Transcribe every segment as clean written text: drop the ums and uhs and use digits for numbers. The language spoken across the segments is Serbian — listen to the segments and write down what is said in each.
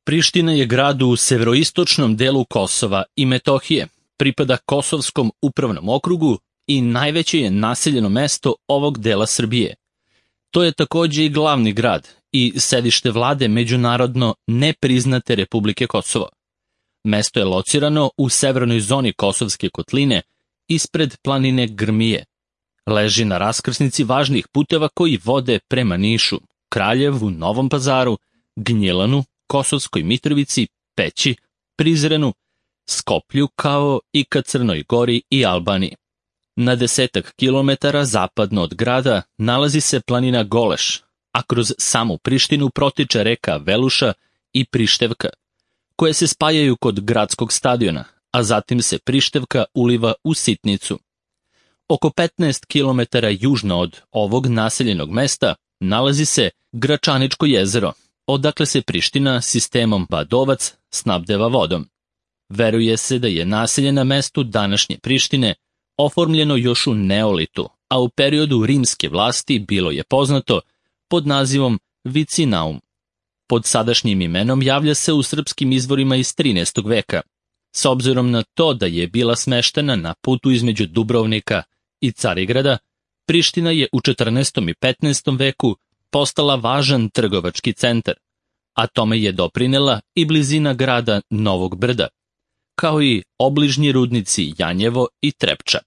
Priština je grad u severoistočnom delu Kosova i Metohije, pripada Kosovskom upravnom okrugu i najveće je naseljeno mesto ovog dela Srbije. To je takođe i glavni grad i sedište vlade međunarodno nepriznate Republike Kosovo. Mesto je locirano u severnoj zoni Kosovske kotline, ispred planine Grmije. Leži na raskrsnici važnih puteva koji vode prema Nišu, Kraljevu, Novom Pazaru, Gnjilanu, Kosovskoj Mitrovici, Peći, Prizrenu, Skoplju kao i ka Crnoj Gori i Albaniji. Na 10 kilometara zapadno od grada nalazi se planina Goleš, a kroz samu Prištinu protiče reka Veluša i Prištevka, koje se spajaju kod gradskog stadiona, a zatim se Prištevka uliva u Sitnicu. Oko 15 kilometara južno od ovog naseljenog mesta nalazi se Gračaničko jezero, odakle se Priština sistemom Badovac snabdeva vodom. Veruje se da je naselje na mestu današnje Prištine oformljeno još u Neolitu, a u periodu rimske vlasti bilo je poznato pod nazivom Vicinaum. Pod sadašnjim imenom javlja se u srpskim izvorima iz 13. veka, s obzirom na to da je bila smeštena na putu između Dubrovnika i Carigrada. Priština je u 14. i 15. veku postala važan trgovački centar, a tome je doprinela i blizina grada Novog Brda, kao i obližnji rudnici Janjevo i Trepča.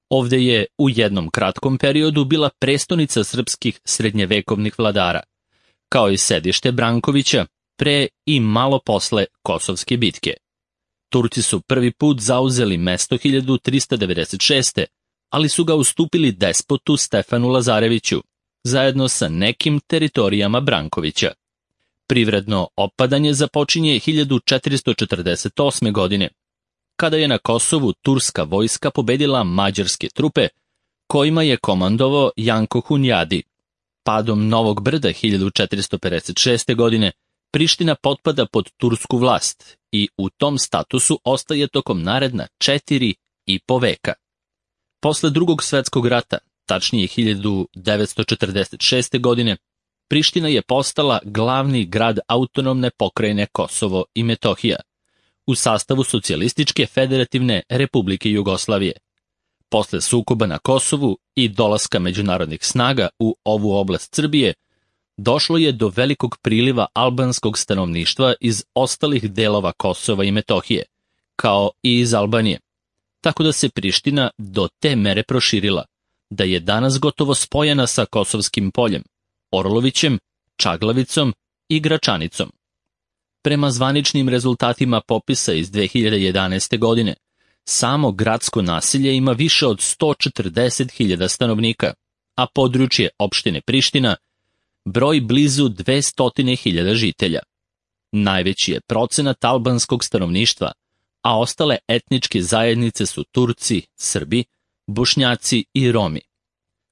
Ovde je u jednom kratkom periodu bila prestonica srpskih srednjevekovnih vladara, kao i sedište Brankovića pre i malo posle Kosovske bitke. Turci su prvi put zauzeli mesto 1396. ali su ga ustupili despotu Stefanu Lazareviću, zajedno sa nekim teritorijama Brankovića. Privredno opadanje započinje 1448. godine, kada je na Kosovu turska vojska pobedila mađarske trupe, kojima je komandovao Janko Hunjadi. Padom Novog Brda 1456. godine Priština potpada pod tursku vlast i u tom statusu ostaje tokom naredna 4,5 veka. Posle Drugog svetskog rata, tačnije 1946. godine, Priština je postala glavni grad autonomne pokrajine Kosovo i Metohija, u sastavu Socijalističke federativne Republike Jugoslavije. Posle sukoba na Kosovu i dolaska međunarodnih snaga u ovu oblast Srbije, došlo je do velikog priliva albanskog stanovništva iz ostalih delova Kosova i Metohije, kao i iz Albanije, tako da se Priština do te mere proširila, da je danas gotovo spojena sa Kosovskim poljem, Orlovićem, Čaglavicom i Gračanicom. Prema zvaničnim rezultatima popisa iz 2011. godine, samo gradsko naselje ima više od 140.000 stanovnika, a područje opštine Priština broji blizu 200.000 žitelja. Najveći je procenat albanskog stanovništva, a ostale etničke zajednice su Turci, Srbi, Bošnjaci i Romi.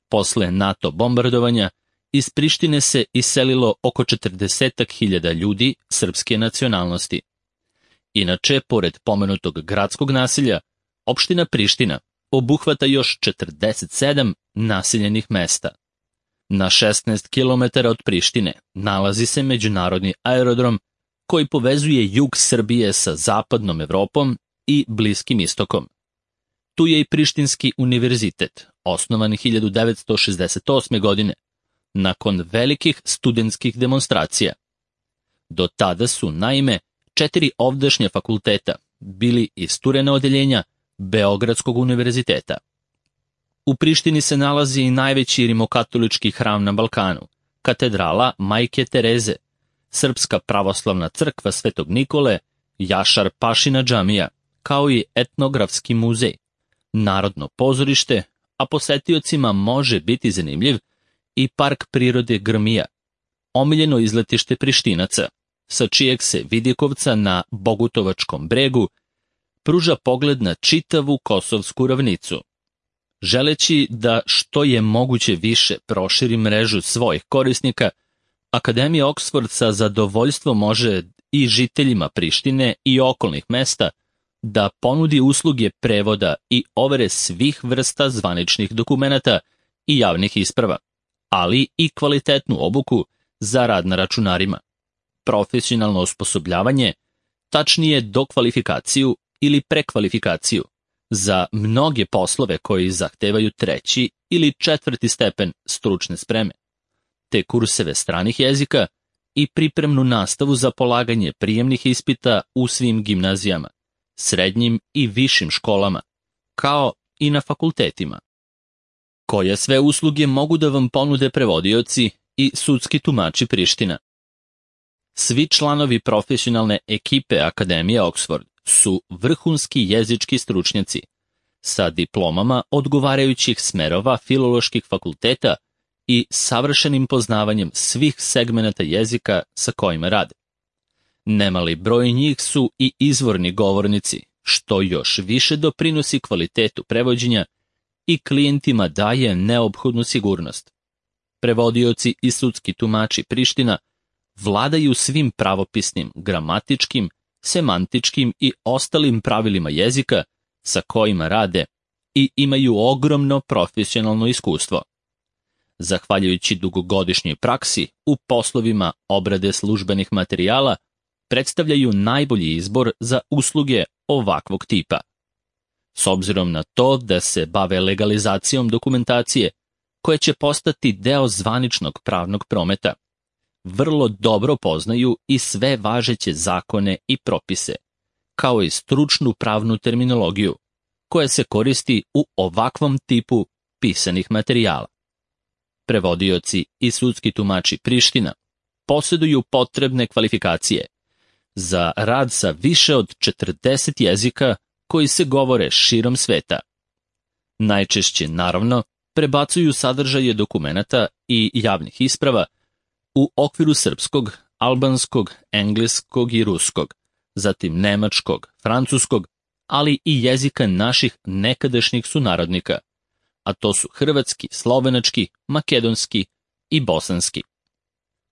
Posle NATO bombardovanja, iz Prištine se iselilo oko 40.000 ljudi srpske nacionalnosti. Inače, pored pomenutog gradskog naselja, opština Priština obuhvata još 47 naseljenih mesta. Na 16 km od Prištine nalazi se međunarodni aerodrom koji povezuje jug Srbije sa zapadnom Evropom i Bliskim istokom. Tu je i Prištinski univerzitet, osnovan 1968. godine, nakon velikih studentskih demonstracija. Do tada su, naime, 4 ovdašnja fakulteta bili isturena odeljenja Beogradskog univerziteta. U Prištini se nalazi i najveći rimokatolički hram na Balkanu, katedrala Majke Tereze, Srpska pravoslavna crkva Svetog Nikole, Jašar Pašina džamija, kao i etnografski muzej, narodno pozorište, a posetiocima može biti zanimljiv i park prirode Grmija, omiljeno izletište Prištinaca, sa čijeg se vidikovca na Bogutovačkom bregu pruža pogled na čitavu Kosovsku ravnicu. Želeći da što je moguće više proširi mrežu svojih korisnika, Akademija Oksford sa zadovoljstvom može i žiteljima Prištine i okolnih mesta da ponudi usluge prevoda i overe svih vrsta zvaničnih dokumenata i javnih isprava, ali i kvalitetnu obuku za rad na računarima. profesionalno osposobljavanje, tačnije dokvalifikaciju ili prekvalifikaciju, za mnoge poslove koji zahtevaju 3. ili 4. stepen stručne spreme, te kurseve stranih jezika i pripremnu nastavu za polaganje prijemnih ispita u svim gimnazijama, srednjim i višim školama, kao i na fakultetima. Koje sve usluge mogu da vam ponude prevodioci i sudski tumači Priština? Svi članovi profesionalne ekipe Akademije Oxford su vrhunski jezički stručnjaci sa diplomama odgovarajućih smerova filoloških fakulteta i savršenim poznavanjem svih segmenata jezika sa kojima rade. Nemali broj njih su i izvorni govornici, što još više doprinosi kvalitetu prevođenja i klijentima daje neophodnu sigurnost. Prevodioci i sudski tumači Priština vladaju svim pravopisnim, gramatičkim, semantičkim i ostalim pravilima jezika sa kojima rade i imaju ogromno profesionalno iskustvo. Zahvaljujući dugogodišnjoj praksi u poslovima obrade službenih materijala, predstavljaju najbolji izbor za usluge ovakvog tipa. S obzirom na to da se bave legalizacijom dokumentacije, koja će postati deo zvaničnog pravnog prometa, vrlo dobro poznaju i sve važeće zakone i propise, kao i stručnu pravnu terminologiju, koja se koristi u ovakvom tipu pisanih materijala. Prevodioci i sudski tumači Priština posjeduju potrebne kvalifikacije za rad sa više od 40 jezika koji se govore širom sveta. Najčešće, naravno, prebacuju sadržaje dokumenata i javnih isprava u okviru srpskog, albanskog, engleskog i ruskog, zatim nemačkog, francuskog, ali i jezika naših nekadašnjih sunarodnika, a to su hrvatski, slovenački, makedonski i bosanski.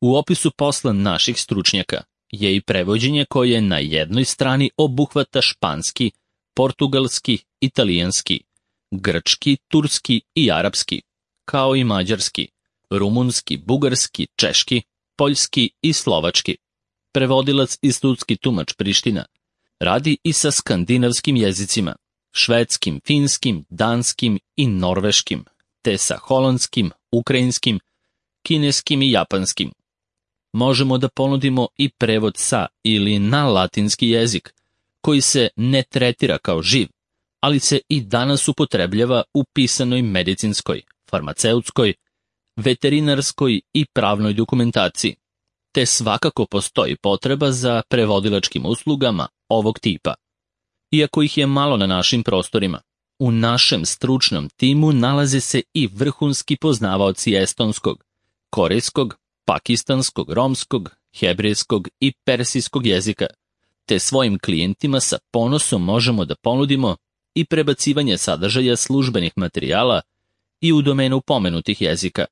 U opisu posla naših stručnjaka je i prevođenje koje na jednoj strani obuhvata španski, portugalski, italijanski, grčki, turski i arapski, kao i mađarski, rumunski, bugarski, češki, poljski i slovački. Prevodilac i sudski tumač Priština radi i sa skandinavskim jezicima, švedskim, finskim, danskim i norveškim, te sa holandskim, ukrajinskim, kineskim i japanskim. Možemo da ponudimo i prevod sa ili na latinski jezik, koji se ne tretira kao živ, ali se i danas upotrebljava u pisanoj medicinskoj, farmaceutskoj, veterinarskoj i pravnoj dokumentaciji, te svakako postoji potreba za prevodilačkim uslugama ovog tipa. Iako ih je malo na našim prostorima, u našem stručnom timu nalaze se i vrhunski poznavaoci estonskog, korejskog, pakistanskog, romskog, hebrejskog i persijskog jezika, te svojim klijentima sa ponosom možemo da ponudimo i prebacivanje sadržaja službenih materijala i u domenu pomenutih jezika.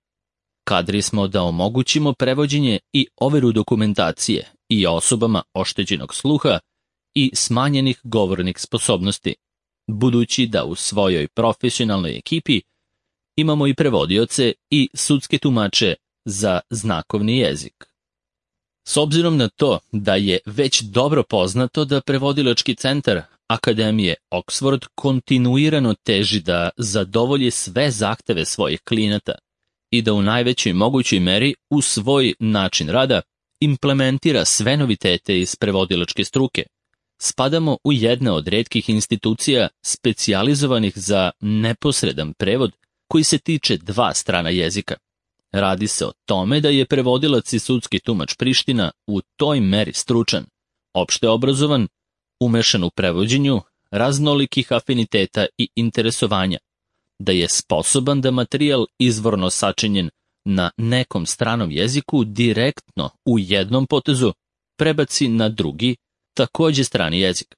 Kadri smo da omogućimo prevođenje i overu dokumentacije i osobama oštećenog sluha i smanjenih govornih sposobnosti, budući da u svojoj profesionalnoj ekipi imamo i prevodioce i sudske tumače za znakovni jezik. S obzirom na to da je već dobro poznato da prevodilački centar Akademije Oxford kontinuirano teži da zadovolji sve zahteve svojih klijenata i da u najvećoj mogućoj meri u svoj način rada implementira sve novitete iz prevodilačke struke, spadamo u jedne od retkih institucija specijalizovanih za neposredan prevod koji se tiče 2 strana jezika. Radi se o tome da je prevodilac i sudski tumač Priština u toj meri stručan, opšte obrazovan, umešan u prevođenju, raznolikih afiniteta i interesovanja, da je sposoban da materijal izvorno sačinjen na nekom stranom jeziku direktno u jednom potezu prebaci na drugi, takođe strani jezik.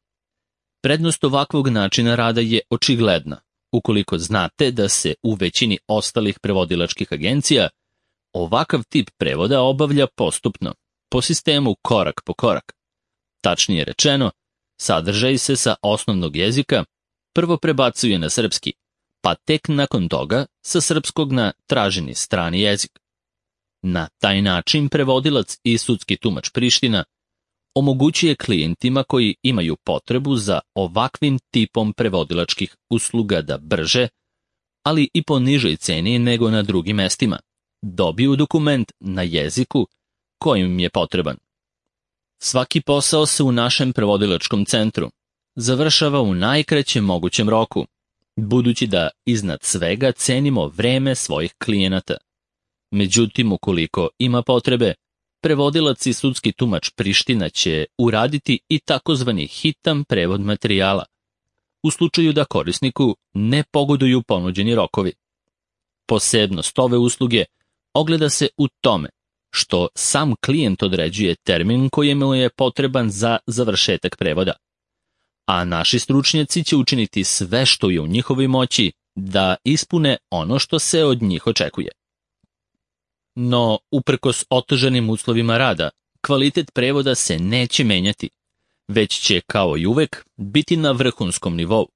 Prednost ovakvog načina rada je očigledna, ukoliko znate da se u većini ostalih prevodilačkih agencija ovakav tip prevoda obavlja postupno, po sistemu korak po korak. Tačnije rečeno, sadržaj se sa osnovnog jezika prvo prebacuje na srpski, pa tek nakon toga sa srpskog na traženi strani jezik. Na taj način prevodilac i sudski tumač Priština omogućuje klijentima koji imaju potrebu za ovakvim tipom prevodilačkih usluga da brže, ali i po nižoj ceni nego na drugim mestima, dobiju dokument na jeziku koji im je potreban. Svaki posao se u našem prevodilačkom centru završava u najkraćem mogućem roku, budući da iznad svega cenimo vreme svojih klijenata. Međutim, ukoliko ima potrebe, prevodilac i sudski tumač Priština će uraditi i takozvani hitan prevod materijala, u slučaju da korisniku ne pogoduju ponuđeni rokovi. Posebnost ove usluge ogleda se u tome što sam klijent određuje termin koji mu je potreban za završetak prevoda, a naši stručnjaci će učiniti sve što je u njihovoj moći da ispune ono što se od njih očekuje. No, uprkos otežanim uslovima rada, kvalitet prevoda se neće menjati, već će, kao i uvek, biti na vrhunskom nivou.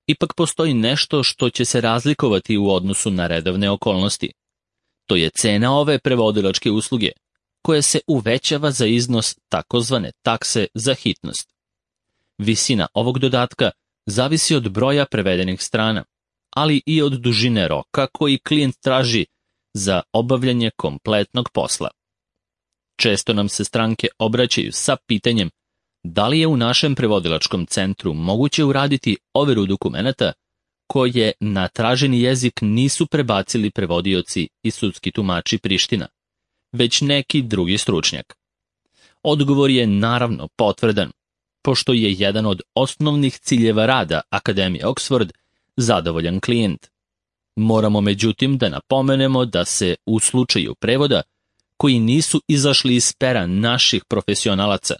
Ipak postoji nešto što će se razlikovati u odnosu na redovne okolnosti. To je cena ove prevodilačke usluge, koja se uvećava za iznos takozvane takse za hitnost. Visina ovog dodatka zavisi od broja prevedenih strana, ali i od dužine roka koji klijent traži za obavljanje kompletnog posla. Često nam se stranke obraćaju sa pitanjem da li je u našem prevodilačkom centru moguće uraditi overu dokumenata koje na traženi jezik nisu prebacili prevodioci i sudski tumači Priština, već neki drugi stručnjak. Odgovor je naravno potvrdan, pošto je jedan od osnovnih ciljeva rada Akademije Oxford zadovoljan klijent. Moramo međutim da napomenemo da se u slučaju prevoda, koji nisu izašli iz pera naših profesionalaca,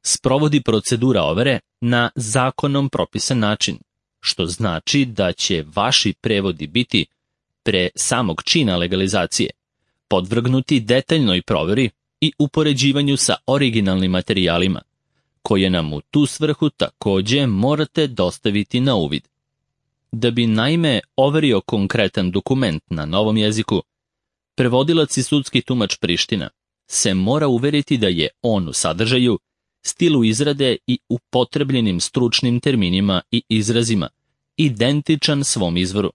sprovodi procedura overe na zakonom propisan način, što znači da će vaši prevodi biti, pre samog čina legalizacije, podvrgnuti detaljnoj proveri i upoređivanju sa originalnim materijalima, koje nam u tu svrhu takođe morate dostaviti na uvid. Da bi naime overio konkretan dokument na novom jeziku, prevodilac i sudski tumač Priština se mora uveriti da je on u sadržaju, stilu izrade i upotrebljenim stručnim terminima i izrazima identičan svom izvoru,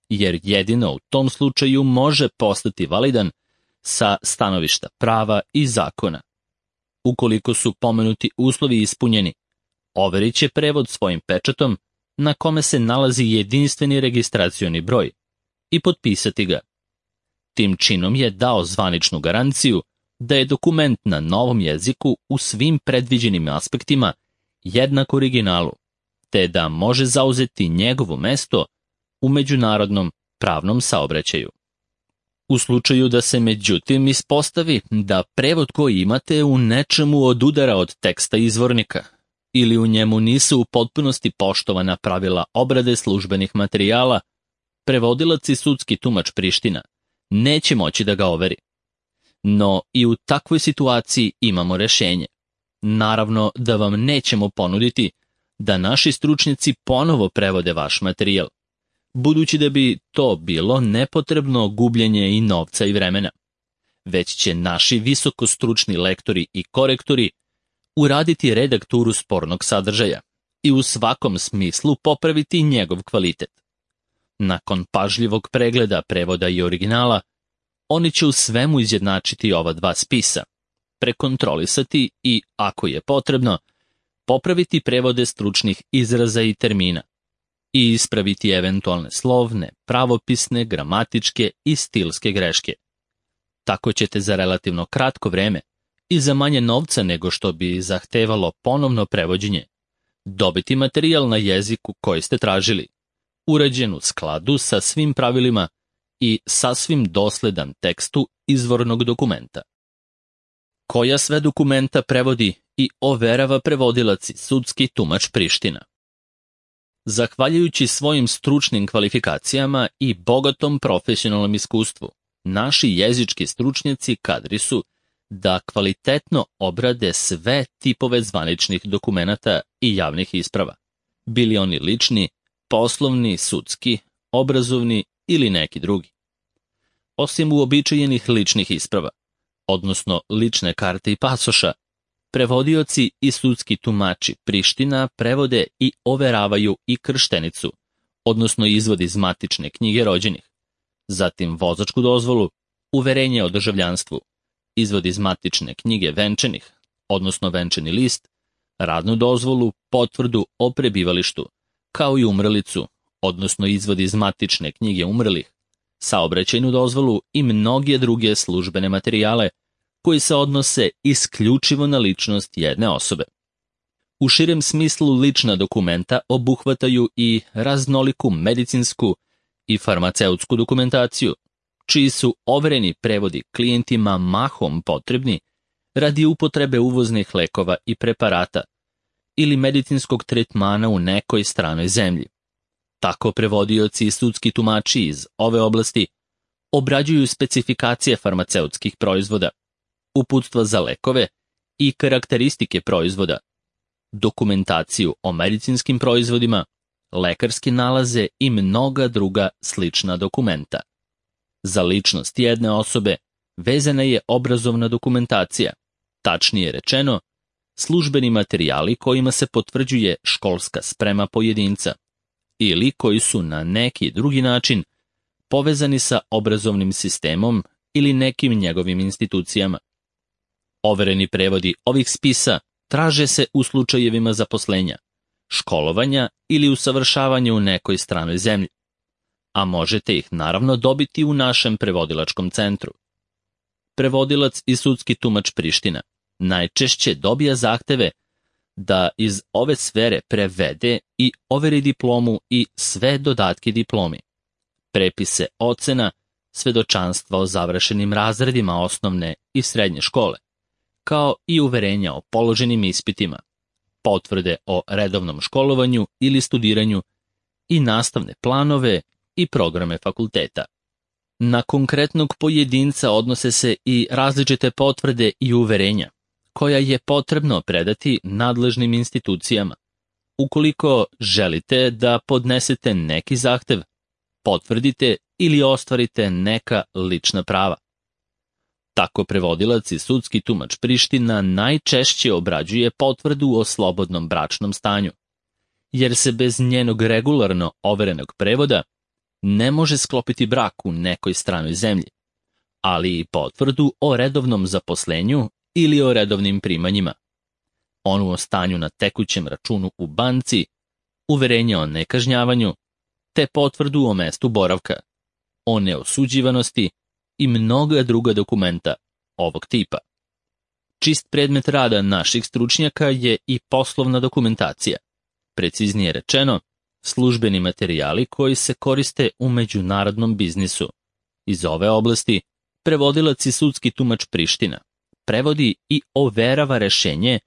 jer jedino u tom slučaju može postati validan sa stanovišta prava i zakona. Ukoliko su pomenuti uslovi ispunjeni, overit će prevod svojim pečatom na kome se nalazi jedinstveni registracioni broj i potpisati ga. Tim činom je dao zvaničnu garanciju da je dokument na novom jeziku u svim predviđenim aspektima jednak originalu, te da može zauzeti njegovo mesto u međunarodnom pravnom saobraćaju. U slučaju da se međutim ispostavi da prevod koji imate u nečemu odudara od teksta izvornika, ili u njemu nisu u potpunosti poštovana pravila obrade službenih materijala, prevodilac i sudski tumač Priština neće moći da ga overi. No i u takvoj situaciji imamo rešenje. Naravno da vam nećemo ponuditi da naši stručnjaci ponovo prevode vaš materijal, budući da bi to bilo nepotrebno gubljenje i novca i vremena, već će naši visokostručni lektori i korektori uraditi redakturu spornog sadržaja i u svakom smislu popraviti njegov kvalitet. Nakon pažljivog pregleda prevoda i originala, oni će u svemu izjednačiti ova dva spisa, prekontrolisati i, ako je potrebno, popraviti prevode stručnih izraza i termina i ispraviti eventualne slovne, pravopisne, gramatičke i stilske greške. Tako ćete za relativno kratko vreme i za manje novca nego što bi zahtevalo ponovno prevođenje dobiti materijal na jeziku koji ste tražili, urađen u skladu sa svim pravilima i sasvim dosledan tekstu izvornog dokumenta. Koja sve dokumenta prevodi i overava prevodilac i sudski tumač Priština? Zahvaljujući svojim stručnim kvalifikacijama i bogatom profesionalnom iskustvu, naši jezički stručnjaci kadri su da kvalitetno obrade sve tipove zvaničnih dokumenata i javnih isprava, bili oni lični, poslovni, sudski, obrazovni ili neki drugi. osim uobičajenih ličnih isprava, odnosno lične karte i pasoša, prevodioci i sudski tumači Priština prevode i overavaju i krštenicu, odnosno izvod iz matične knjige rođenih, zatim vozačku dozvolu, uverenje o državljanstvu, izvod iz matične knjige venčanih, odnosno venčani list, radnu dozvolu, potvrdu o prebivalištu, kao i umrlicu, odnosno izvod iz matične knjige umrlih, saobraćajnu dozvolu i mnoge druge službene materijale koji se odnose isključivo na ličnost jedne osobe. U širem smislu lična dokumenta obuhvataju i raznoliku medicinsku i farmaceutsku dokumentaciju, čiji su overeni prevodi klijentima mahom potrebni radi upotrebe uvoznih lekova i preparata ili medicinskog tretmana u nekoj stranoj zemlji. Tako prevodioci i sudski tumači iz ove oblasti obrađuju specifikacije farmaceutskih proizvoda, uputstva za lekove i karakteristike proizvoda, dokumentaciju o medicinskim proizvodima, lekarske nalaze i mnoga druga slična dokumenta. Za ličnost jedne osobe vezana je obrazovna dokumentacija, tačnije rečeno, službeni materijali kojima se potvrđuje školska sprema pojedinca ili koji su na neki drugi način povezani sa obrazovnim sistemom ili nekim njegovim institucijama. Overeni prevodi ovih spisa traže se u slučajevima zaposlenja, školovanja ili usavršavanja u nekoj stranoj zemlji, a možete ih naravno dobiti u našem prevodilačkom centru. Prevodilac i sudski tumač Priština najčešće dobija zahteve da iz ove sfere prevede i overi diplomu i sve dodatke diplomi, prepise ocena, svedočanstva o završenim razredima osnovne i srednje škole, kao i uverenja o položenim ispitima, potvrde o redovnom školovanju ili studiranju i nastavne planove i programe fakulteta. Na konkretnog pojedinca odnose se i različite potvrde i uverenja, koja je potrebno predati nadležnim institucijama. Ukoliko želite da podnesete neki zahtev, potvrdite ili ostvarite neka lična prava. Tako prevodilac i sudski tumač Priština najčešće obrađuje potvrdu o slobodnom bračnom stanju, jer se bez njenog regularno overenog prevoda ne može sklopiti brak u nekoj stranoj zemlji, ali i potvrdu o redovnom zaposlenju ili o redovnim primanjima, onu o stanju na tekućem računu u banci, uverenje o nekažnjavanju, te potvrdu o mestu boravka, o neosuđivanosti i mnoga druga dokumenta ovog tipa. Čist predmet rada naših stručnjaka je i poslovna dokumentacija, preciznije rečeno, službeni materijali koji se koriste u međunarodnom biznisu. Iz ove oblasti prevodilac i sudski tumač Priština prevodi i overava rešenje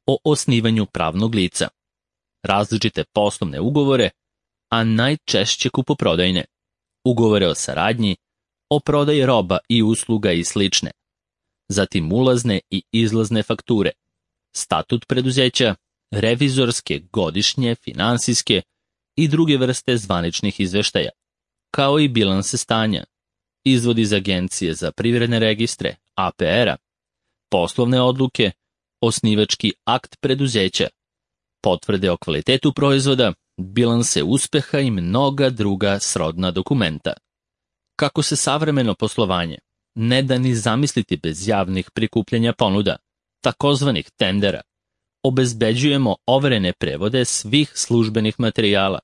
o osnivanju pravnog lica, različite poslovne ugovore, a najčešće kupoprodajne, ugovore o saradnji, o prodaji roba i usluga i slične, zatim ulazne i izlazne fakture, statut preduzeća, revizorske, godišnje, finansijske i druge vrste zvaničnih izveštaja, kao i bilanse stanja, izvod iz Agencije za privredne registre, APR-a, poslovne odluke, osnivački akt preduzeća, potvrde o kvalitetu proizvoda, bilanse uspeha i mnoga druga srodna dokumenta. Kako se savremeno poslovanje ne da ni zamisliti bez javnih prikupljanja ponuda, takozvanih tendera, obezbeđujemo overene prevode svih službenih materijala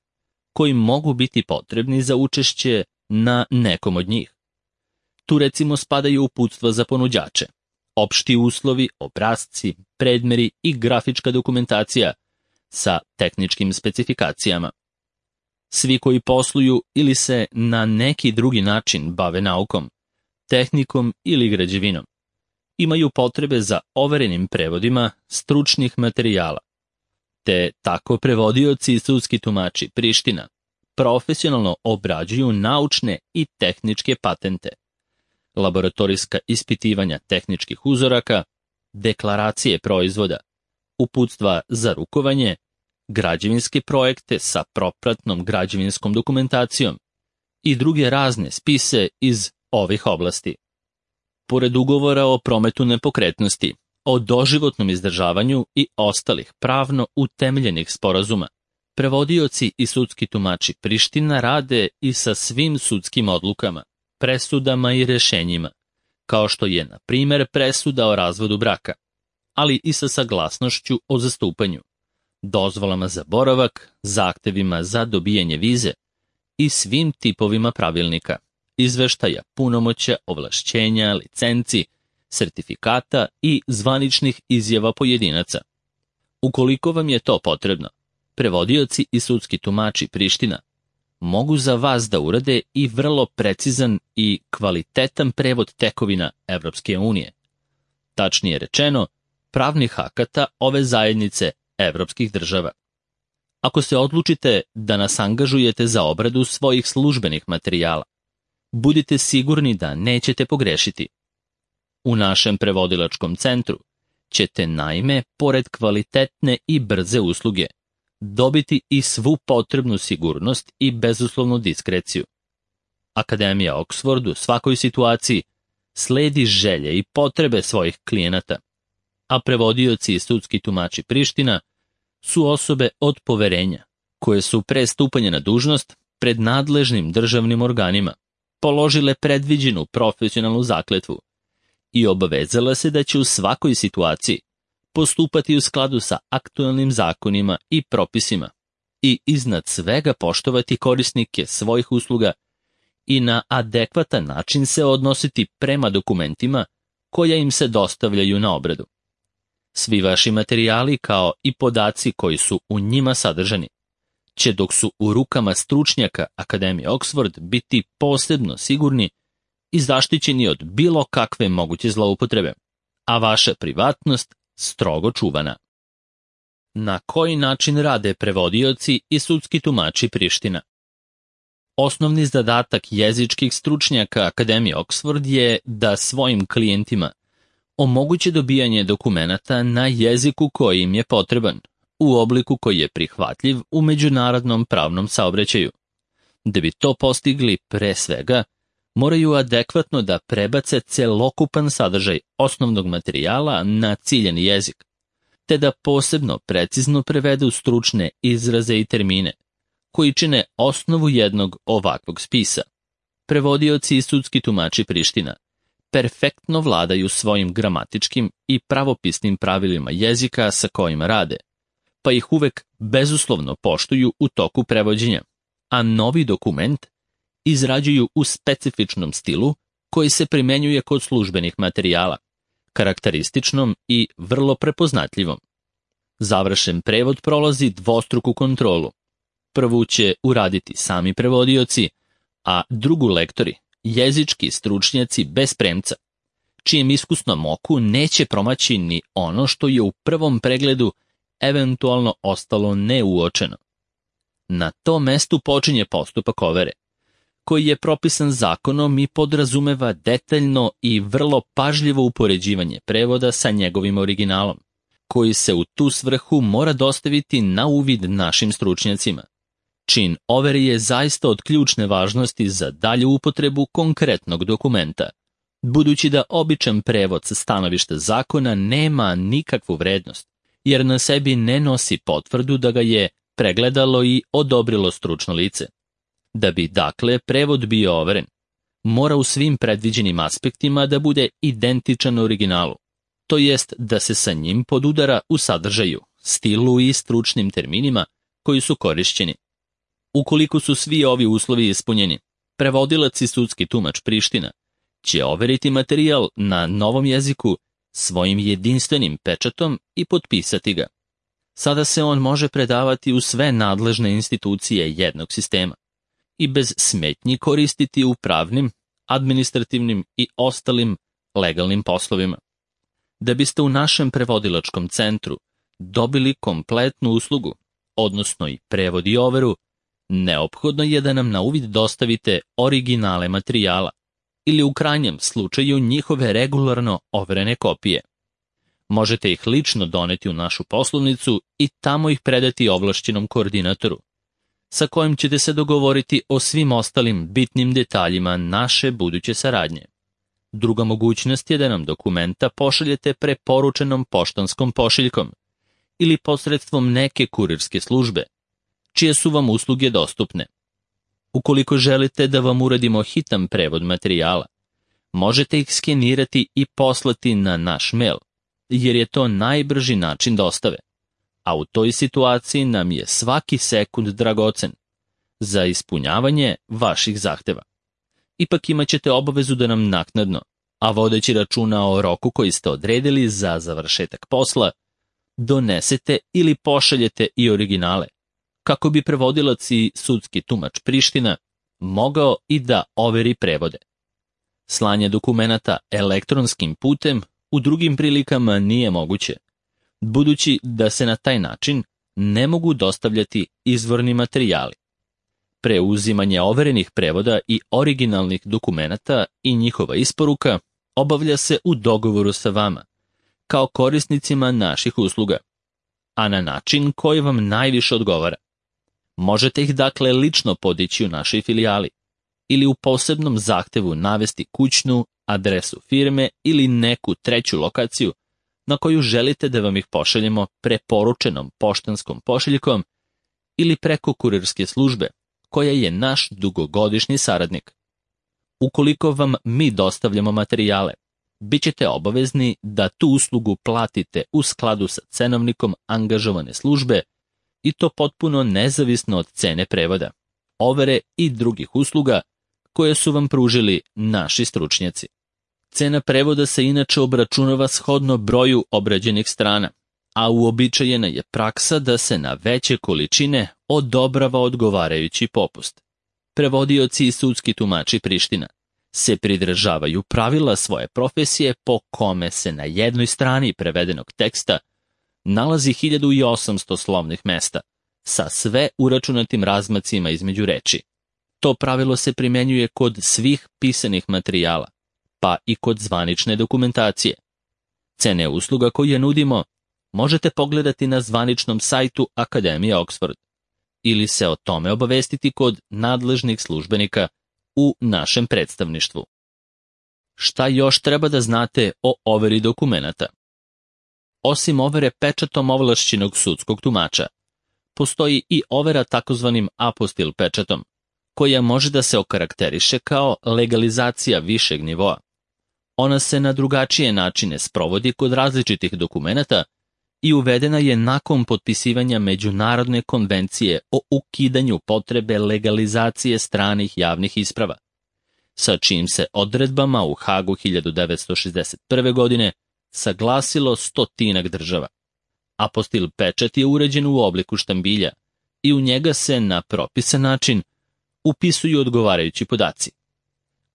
koji mogu biti potrebni za učešće na nekom od njih. Tu recimo spadaju uputstva za ponuđače, opšti uslovi, obrasci, predmeri i grafička dokumentacija sa tehničkim specifikacijama. Svi koji posluju ili se na neki drugi način bave naukom, tehnikom ili građevinom, imaju potrebe za overenim prevodima stručnih materijala, te tako prevodioci i sudski tumači Priština profesionalno obrađuju naučne i tehničke patente, laboratorijska ispitivanja tehničkih uzoraka, deklaracije proizvoda, uputstva za rukovanje, građevinske projekte sa propratnom građevinskom dokumentacijom i druge razne spise iz ovih oblasti. Pored ugovora o prometu nepokretnosti, o doživotnom izdržavanju i ostalih pravno utemeljenih sporazuma, prevodioci i sudski tumači Priština rade i sa svim sudskim odlukama, presudama i rešenjima, kao što je, na primer, presuda o razvodu braka, ali i sa saglasnošću o zastupanju, dozvolama za boravak, zahtevima za dobijanje vize i svim tipovima pravilnika, izveštaja, punomoća, ovlašćenja, licenci, sertifikata i zvaničnih izjava pojedinaca. Ukoliko vam je to potrebno, prevodioci i sudski tumači Priština mogu za vas da urade i vrlo precizan i kvalitetan prevod tekovina Evropske unije. Tačnije rečeno, pravnih akata ove zajednice evropskih država. Ako se odlučite da nas angažujete za obradu svojih službenih materijala, budite sigurni da nećete pogrešiti. U našem prevodilačkom centru ćete naime, pored kvalitetne i brze usluge, dobiti i svu potrebnu sigurnost i bezuslovnu diskreciju. Akademija Oxford u svakoj situaciji sledi želje i potrebe svojih klijenata, a prevodioci i sudski tumači Priština su osobe od poverenja, koje su pre stupanja na dužnost pred nadležnim državnim organima položile predviđenu profesionalnu zakletvu i obavezala se da će u svakoj situaciji postupati u skladu sa aktualnim zakonima i propisima i iznad svega poštovati korisnike svojih usluga i na adekvatan način se odnositi prema dokumentima koja im se dostavljaju na obradu. Svi vaši materijali kao i podaci koji su u njima sadržani će, dok su u rukama stručnjaka Akademije Oxford, biti posebno sigurni i zaštićeni od bilo kakve moguće zloupotrebe, a vaša privatnost strogo čuvana. Na koji način rade prevodioci i sudski tumači Priština? Osnovni zadatak jezičkih stručnjaka Akademije Oxford je da svojim klijentima omoguće dobijanje dokumenata na jeziku koji im je potreban, u obliku koji je prihvatljiv u međunarodnom pravnom saobraćaju. Da bi to postigli, pre svega, moraju adekvatno da prebace celokupan sadržaj osnovnog materijala na ciljani jezik, te da posebno precizno prevedu stručne izraze i termine, koji čine osnovu jednog ovakvog spisa. Prevodioci i sudski tumači Priština perfektno vladaju svojim gramatičkim i pravopisnim pravilima jezika sa kojima rade, pa ih uvek bezuslovno poštuju u toku prevođenja, a novi dokument izrađuju u specifičnom stilu koji se primenjuje kod službenih materijala, karakterističnom i vrlo prepoznatljivom. Završen prevod prolazi dvostruku kontrolu. Prvu će uraditi sami prevodioci, a drugu lektori, jezički stručnjaci bez premca, čijem iskusnom oku neće promaći ni ono što je u prvom pregledu eventualno ostalo neuočeno. Na tom mestu počinje postupak overe, koji je propisan zakonom i podrazumeva detaljno i vrlo pažljivo upoređivanje prevoda sa njegovim originalom, koji se u tu svrhu mora dostaviti na uvid našim stručnjacima. Čin overe je zaista od ključne važnosti za dalju upotrebu konkretnog dokumenta, budući da običan prevod sa stanovišta zakona nema nikakvu vrednost, jer na sebi ne nosi potvrdu da ga je pregledalo i odobrilo stručno lice. Da bi, dakle, prevod bio overen, mora u svim predviđenim aspektima da bude identičan originalu, to jest da se sa njim podudara u sadržaju, stilu i stručnim terminima koji su korišćeni. Ukoliko su svi ovi uslovi ispunjeni, prevodilac i sudski tumač Priština će overiti materijal na novom jeziku svojim jedinstvenim pečatom i potpisati ga. Sada se on može predavati u sve nadležne institucije jednog sistema i bez smetnji koristiti u pravnim, administrativnim i ostalim legalnim poslovima. Da biste u našem prevodilačkom centru dobili kompletnu uslugu, odnosno i prevod i overu, neophodno je da nam na uvid dostavite originale materijala ili u krajnjem slučaju njihove regularno overene kopije. Možete ih lično doneti u našu poslovnicu i tamo ih predati ovlašćenom koordinatoru. sa kojim ćete se dogovoriti o svim ostalim bitnim detaljima naše buduće saradnje. Druga mogućnost je da nam dokumenta pošaljete preporučenom poštanskom pošiljkom ili posredstvom neke kurirske službe, čije su vam usluge dostupne. Ukoliko želite da vam uradimo hitan prevod materijala, možete ih skenirati i poslati na naš mail, jer je to najbrži način dostave, a u toj situaciji nam je svaki sekund dragocen za ispunjavanje vaših zahteva. Ipak imat ćete obavezu da nam naknadno, a vodeći računa o roku koji ste odredili za završetak posla, donesete ili pošaljete i originale, kako bi prevodilac i sudski tumač Priština mogao i da overi prevode. Slanje dokumenata elektronskim putem u drugim prilikama nije moguće, budući da se na taj način ne mogu dostavljati izvorni materijali. Preuzimanje overenih prevoda i originalnih dokumenata i njihova isporuka obavlja se u dogovoru sa vama, kao korisnicima naših usluga, a na način koji vam najviše odgovara. Možete ih dakle lično podići u našoj filijali ili u posebnom zahtevu navesti kućnu adresu firme ili neku treću lokaciju na koju želite da vam ih pošaljemo preporučenom poštanskom pošiljkom ili preko kurirske službe, koja je naš dugogodišnji saradnik. Ukoliko vam mi dostavljamo materijale, bit ćete obavezni da tu uslugu platite u skladu sa cenovnikom angažovane službe i to potpuno nezavisno od cene prevoda, overe i drugih usluga koje su vam pružili naši stručnjaci. Cena prevoda se inače obračunava shodno broju obrađenih strana, a uobičajena je praksa da se na veće količine odobrava odgovarajući popust. Prevodioci i sudski tumači Priština se pridržavaju pravila svoje profesije po kome se na jednoj strani prevedenog teksta nalazi 1800 slovnih mesta, sa sve uračunatim razmacima između reči. To pravilo se primenjuje kod svih pisanih materijala, pa i kod zvanične dokumentacije. Cene usluga koje nudimo možete pogledati na zvaničnom sajtu Akademije Oxford ili se o tome obavestiti kod nadležnih službenika u našem predstavništvu. Šta još treba da znate o overi dokumenata? Osim overe pečatom ovlašćenog sudskog tumača, postoji i overa takozvanim apostil pečatom, koja može da se okarakteriše kao legalizacija višeg nivoa. Ona se na drugačije načine sprovodi kod različitih dokumenata i uvedena je nakon potpisivanja Međunarodne konvencije o ukidanju potrebe legalizacije stranih javnih isprava, sa čijim se odredbama u Hagu 1961. godine saglasilo 100 država. Apostil pečat je uređen u obliku štambilja i u njega se na propisan način upisuju odgovarajući podaci.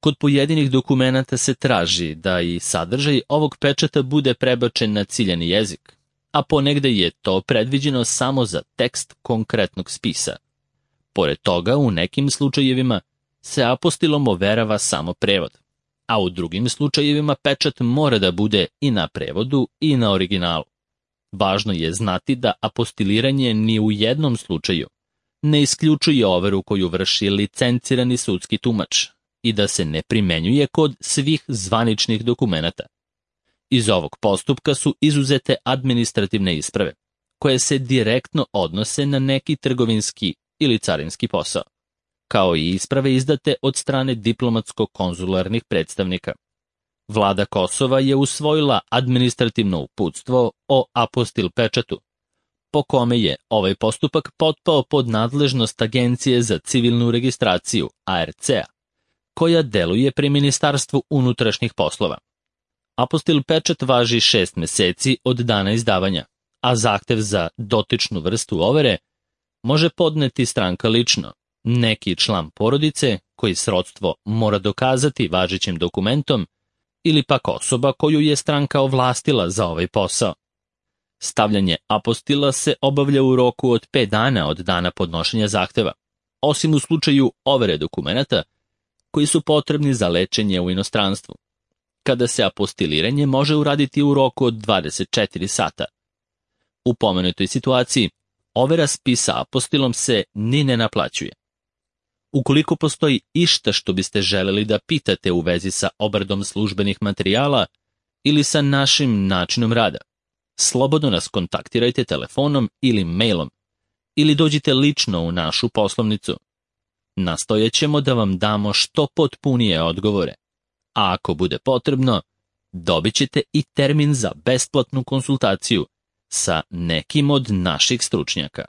Kod pojedinih dokumenata se traži da i sadržaj ovog pečata bude prebačen na ciljani jezik, a ponegde je to predviđeno samo za tekst konkretnog spisa. Pored toga, u nekim slučajevima se apostilom overava samo prevod, a u drugim slučajevima pečat mora da bude i na prevodu i na originalu. Važno je znati da apostiliranje ni u jednom slučaju ne isključuje overu koju vrši licencirani sudski tumač i da se ne primenjuje kod svih zvaničnih dokumenata. Iz ovog postupka su izuzete administrativne isprave, koje se direktno odnose na neki trgovinski ili carinski posao, kao i isprave izdate od strane diplomatsko-konzularnih predstavnika. Vlada Kosova je usvojila administrativno uputstvo o apostil pečatu, po kome je ovaj postupak potpao pod nadležnost Agencije za civilnu registraciju, ARC-a, koja deluje pri Ministarstvu unutrašnjih poslova. Apostil pečat važi 6 meseci od dana izdavanja, a zahtev za dotičnu vrstu overe može podneti stranka lično, neki član porodice koji srodstvo mora dokazati važećim dokumentom ili pak osoba koju je stranka ovlastila za ovaj posao. Stavljanje apostila se obavlja u roku od 5 dana od dana podnošenja zahteva, osim u slučaju overe dokumenata koji su potrebni za lečenje u inostranstvu, kada se apostiliranje može uraditi u roku od 24 sata. U pomenutoj situaciji, overa spisa apostilom se ni ne naplaćuje. Ukoliko postoji išta što biste želeli da pitate u vezi sa obradom službenih materijala ili sa našim načinom rada, slobodno nas kontaktirajte telefonom ili mailom ili dođite lično u našu poslovnicu. Nastojaćemo da vam damo što potpunije odgovore, a ako bude potrebno, dobit ćete i termin za besplatnu konsultaciju sa nekim od naših stručnjaka.